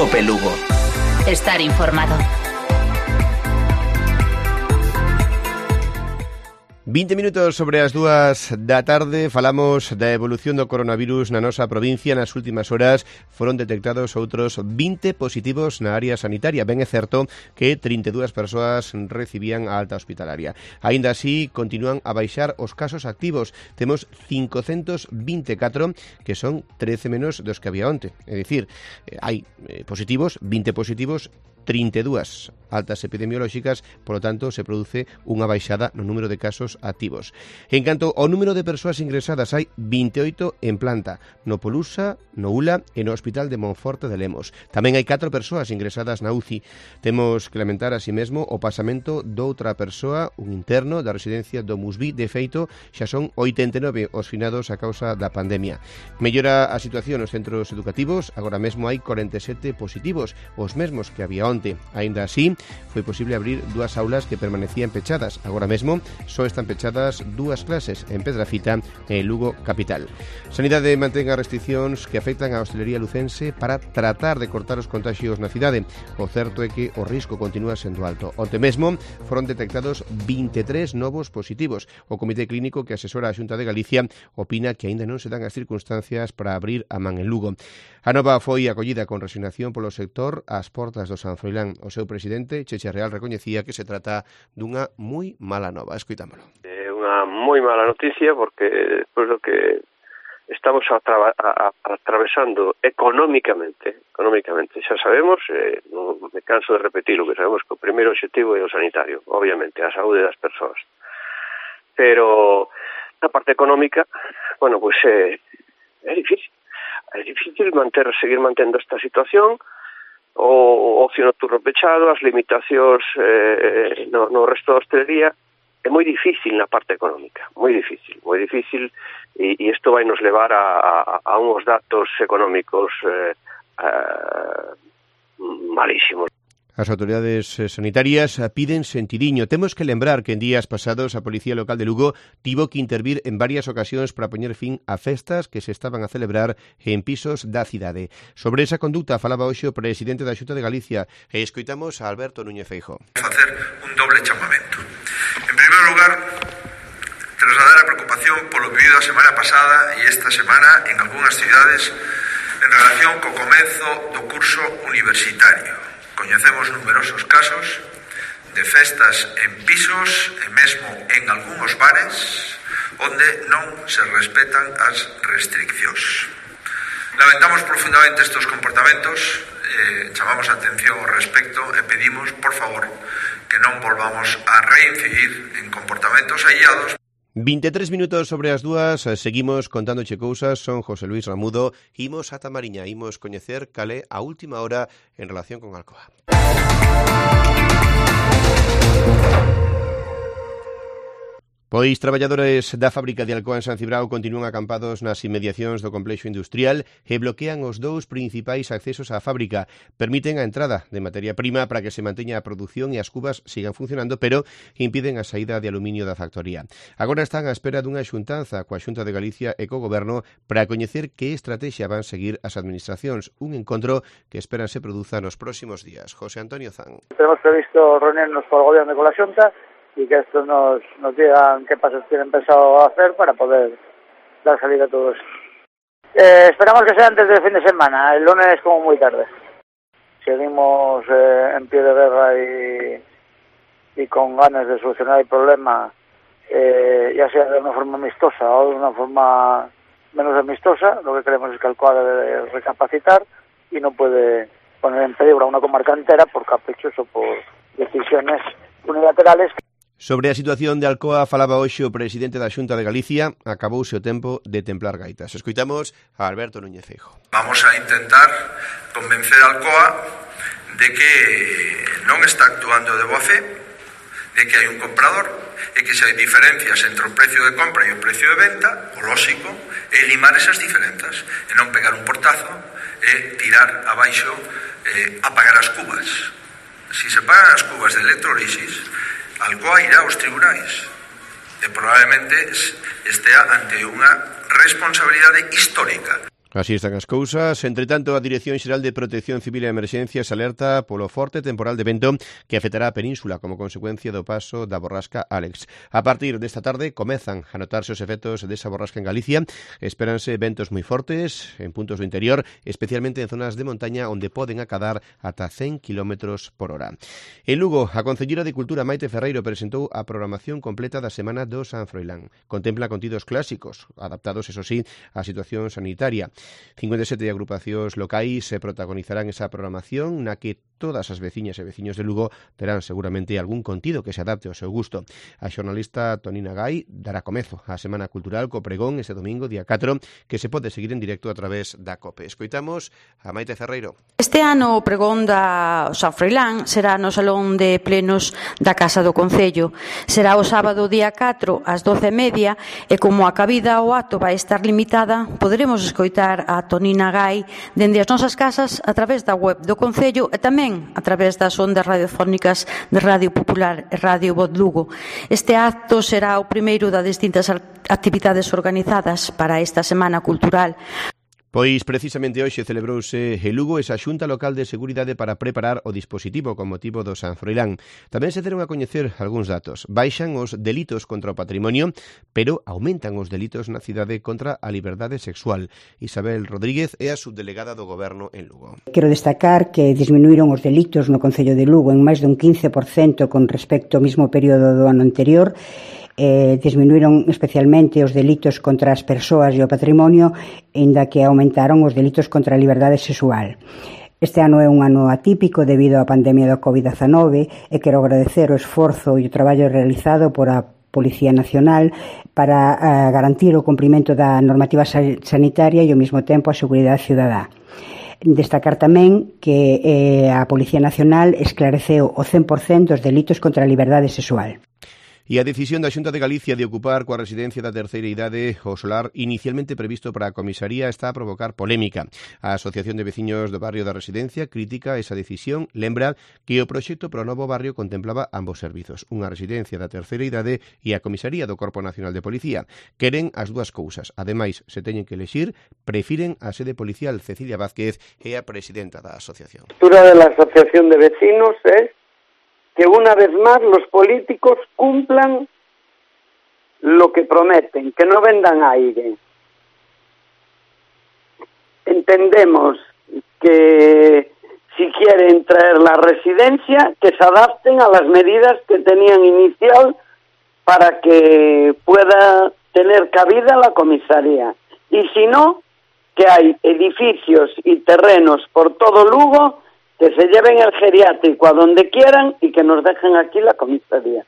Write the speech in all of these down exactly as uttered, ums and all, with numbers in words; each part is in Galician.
COPE Lugo. Estar informado. vinte minutos sobre as dúas da tarde, falamos da evolución do coronavirus na nosa provincia. Nas últimas horas foron detectados outros vinte positivos na área sanitaria. Ben é certo que trinta e dúas persoas recibían a alta hospitalaria. Aínda así, continúan a baixar os casos activos. Temos cincocentos vinte e catro, que son trece menos dos que había onte. É dicir, hai positivos, vinte positivos, trinta e dúas altas epidemiolóxicas, polo tanto, se produce unha baixada no número de casos activos. En canto ao número de persoas ingresadas, hai vinte e oito en planta, no Polusa, no U L A e no Hospital de Monforte de Lemos. Tamén hai catro persoas ingresadas na U C I. Temos que lamentar así mesmo o pasamento doutra persoa, un interno da residencia do Musví. De feito, xa son oitenta e nove os finados a causa da pandemia. Mellora a situación nos centros educativos, agora mesmo hai corenta e sete positivos, os mesmos que había onte. Aínda así, foi posible abrir dúas aulas que permanecían pechadas. Agora mesmo só están pechadas dúas clases en Pedrafita e Lugo capital. Sanidade mantén as restriccións que afectan a hostelería lucense para tratar de cortar os contagios na cidade. O certo é que o risco continúa sendo alto. Onte mesmo foron detectados vinte e tres novos positivos. O Comité Clínico que asesora a Xunta de Galicia opina que aínda non se dan as circunstancias para abrir a man en Lugo. A nova foi acollida con resignación polo sector ás portas do San Froilán. O seu presidente, Cheche Real, recoñecía que se trata dunha moi mala nova. Escoitámolo. É unha moi mala noticia porque despois do que estamos a a, a, atravesando económicamente, económicamente, xa sabemos, eh, non me canso de repetirlo, que sabemos que o primeiro objetivo é o sanitario, obviamente, a saúde das persoas. Pero na parte económica, bueno, pois pues, eh, é difícil. É difícil manter, seguir mantendo esta situación, o ocio nocturno pechado, as limitacións eh, no, no resto da hostelería. É moi difícil na parte económica, moi difícil, moi difícil, e, e isto vai nos levar a, a, a uns datos económicos eh, eh, malísimos. As autoridades sanitarias piden sentidiño. Temos que lembrar que en días pasados a Policía Local de Lugo tivo que intervir en varias ocasións para poñer fin a festas que se estaban a celebrar en pisos da cidade. Sobre esa conducta falaba hoxe o presidente da Xunta de Galicia e escoitamos a Alberto Núñez Feijóo. Facer un doble chamamento. En primeiro lugar, trasladar a preocupación polo vivido a semana pasada e esta semana en algunhas cidades en relación co comezo do curso universitario. Coñecemos numerosos casos de festas en pisos e mesmo en algúns bares onde non se respetan as restriccións. Lamentamos profundamente estes comportamentos, eh, chamamos a atención ao respecto e pedimos, por favor, que non volvamos a reincidir en comportamentos aillados. vinte e tres minutos sobre as dúas, seguimos contándoche cousas. Son José Luis Ramudo, imos ata Mariña, imos coñecer cal é a última hora en relación con Alcoa. Pois traballadores da fábrica de Alcoa en San Cibrao continúan acampados nas inmediacións do complexo industrial e bloquean os dous principais accesos á fábrica. Permiten a entrada de materia prima para que se manteña a produción e as cubas sigan funcionando, pero impiden a saída de aluminio da factoría. Agora están á espera dunha xuntanza coa Xunta de Galicia e co Goberno para coñecer que estrategia van seguir as administracións. Un encontro que esperan se produza nos próximos días. José Antonio Zan. Tenemos previsto reunirnos con el Gobierno e con la Xunta y que estos nos, nos digan qué pasos tienen pensado hacer para poder dar salida a todo esto. Eh, esperamos que sea antes del fin de semana, el lunes como muy tarde. Seguimos eh, en pie de guerra y, y con ganas de solucionar el problema, eh, ya sea de una forma amistosa o de una forma menos amistosa. Lo que queremos es que Alcoa debe recapacitar y no puede poner en peligro a una comarca entera por caprichos o por decisiones unilaterales. Sobre a situación de Alcoa falaba hoxe o presidente da Xunta de Galicia. Acabouse o tempo de templar gaitas. Escoitamos a Alberto Núñez Feijóo. Vamos a intentar convencer a Alcoa de que non está actuando de boa fe, de que hai un comprador e que se hai diferencias entre o precio de compra e o precio de venta, o lóxico é limar esas diferenzas e non pegar un portazo e tirar abaixo, eh, apagar as cubas. Si se pagan as cubas de electrolisis, Alcoa irá aos tribunais e probablemente estea ante unha responsabilidade histórica. Así están as cousas. Entre tanto, a Dirección Xeral de Protección Civil e Emerxencias alerta polo forte temporal de vento que afectará a península como consecuencia do paso da borrasca Álex. A partir desta tarde comezan a notarse os efectos desa borrasca en Galicia. Espéranse ventos moi fortes en puntos do interior, especialmente en zonas de montaña onde poden acadar ata cen kilómetros por hora. En Lugo, a Concelleira de Cultura Maite Ferreiro presentou a programación completa da Semana do San Froilán. Contempla contidos clásicos, adaptados, eso sí, á situación sanitaria. cincuenta e sete agrupacións locais se protagonizarán esa programación na que todas as veciñas e veciños de Lugo terán seguramente algún contido que se adapte ao seu gusto. A xornalista Tonina Gai dará comezo á Semana Cultural co pregón ese domingo, día catro, que se pode seguir en directo a través da COPE. Escoitamos a Maite Ferreiro. Este ano o pregón da San Froilán será no Salón de Plenos da Casa do Concello. Será o sábado día catro ás doce e media e como a cabida ao acto vai estar limitada, poderemos escoitar a Tonina Gai dende as nosas casas a través da web do Concello e tamén a través das ondas radiofónicas de Radio Popular e Radio Voz Lugo. Este acto será o primeiro das distintas actividades organizadas para esta Semana Cultural. Pois precisamente hoxe celebrouse en Lugo esa Xunta Local de Seguridade para preparar o dispositivo con motivo do San Froilán. Tamén se deron a coñecer algúns datos. Baixan os delitos contra o patrimonio, pero aumentan os delitos na cidade contra a liberdade sexual. Isabel Rodríguez é a subdelegada do Goberno en Lugo. Quero destacar que disminuíron os delitos no Concello de Lugo en máis dun quince por cento con respecto ao mesmo período do ano anterior. Eh, disminuíron especialmente os delitos contra as persoas e o patrimonio, aínda que aumentaron os delitos contra a liberdade sexual. Este ano é un ano atípico debido á pandemia do covid diecinueve e quero agradecer o esforzo e o traballo realizado por a Policía Nacional para uh, garantir o cumprimento da normativa sanitaria e ao mesmo tempo a seguridade cidadá. Destacar tamén que eh, a Policía Nacional esclareceu o cen por cento dos delitos contra a liberdade sexual. E a decisión da Xunta de Galicia de ocupar coa residencia da terceira idade o solar inicialmente previsto para a comisaría está a provocar polémica. A Asociación de Veciños do Barrio da Residencia critica esa decisión, lembra que o proxecto pro novo barrio contemplaba ambos servizos, unha residencia da terceira idade e a comisaría do Corpo Nacional de Policía. Queren as dúas cousas. Ademais, se teñen que elexir, prefiren a sede policial. Cecilia Vázquez é a presidenta da asociación. A postura de la Asociación de Vecinos es que una vez más los políticos cumplan lo que prometen, que no vendan aire. Entendemos que si quieren traer la residencia, que se adapten a las medidas que tenían inicial para que pueda tener cabida la comisaría. Y si no, que hay edificios y terrenos por todo Lugo que se lleven el geriátrico a donde quieran y que nos dejen aquí la comisaría.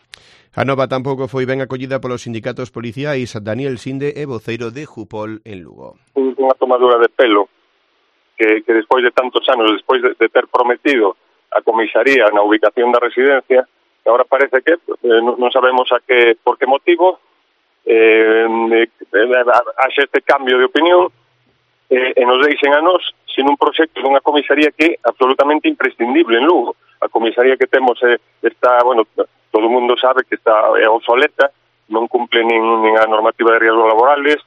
A nova tampouco foi ben acollida polos sindicatos policiais. Daniel Sinde é voceiro de Jupol en Lugo. Unha tomadura de pelo que, que despois de tantos anos, despois de, de ter prometido a comisaría na ubicación da residencia, agora parece que eh, non sabemos a que, por que motivo eh, eh, haxe este cambio de opinión eh, e nos deixen a nos sin un proxecto dunha comisaría que é absolutamente imprescindible en Lugo. A comisaría que temos eh, está, bueno, todo o mundo sabe que está é obsoleta, non cumple nin, nin a normativa de riesgos laborales.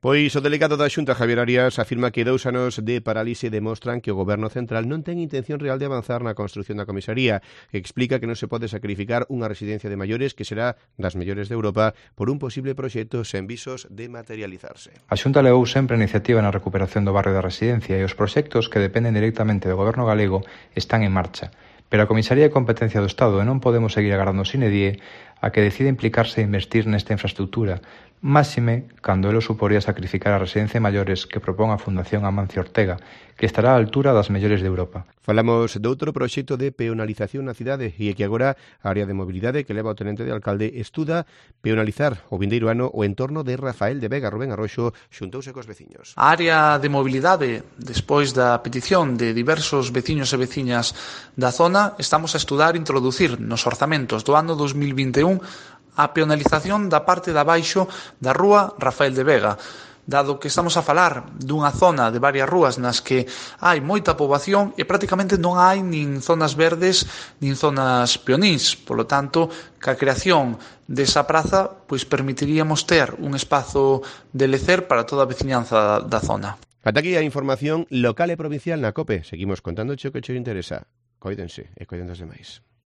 Pois o delegado da Xunta, Javier Arias, afirma que dous anos de parálise demostran que o Goberno Central non ten intención real de avanzar na construción da comisaría. Explica que non se pode sacrificar unha residencia de maiores que será das mellores de Europa por un posible proxecto sen visos de materializarse. A Xunta levou sempre a iniciativa na recuperación do barrio da residencia e os proxectos que dependen directamente do Goberno galego están en marcha. Pero a comisaría é competencia do Estado e non podemos seguir agardando sine die a que decida implicarse e investir nesta infraestructura, máxime cando elo suporía sacrificar a residencia de maiores que propón a Fundación Amancio Ortega, que estará á altura das mellores de Europa. Falamos de outro proxecto de peonalización na cidade e é que agora a área de mobilidade que leva o tenente de alcalde estuda peonalizar o vindeiro ano o entorno de Rafael de Vega. Rubén Arroxo xuntouse cos veciños. A área de mobilidade, despois da petición de diversos veciños e veciñas da zona, estamos a estudar introducir nos orzamentos do ano dos mil vinte e un a peonalización da parte de abaixo da rúa Rafael de Vega, dado que estamos a falar dunha zona de varias rúas nas que hai moita poboación e prácticamente non hai nin zonas verdes nin zonas peonís. Polo tanto, ca creación desa praza, pois permitiríamos ter un espazo de lecer para toda a veciñanza da zona. Ata aquí a información local e provincial na COPE. Seguimos contando o que che interesa. Coídense e coiden dos demais.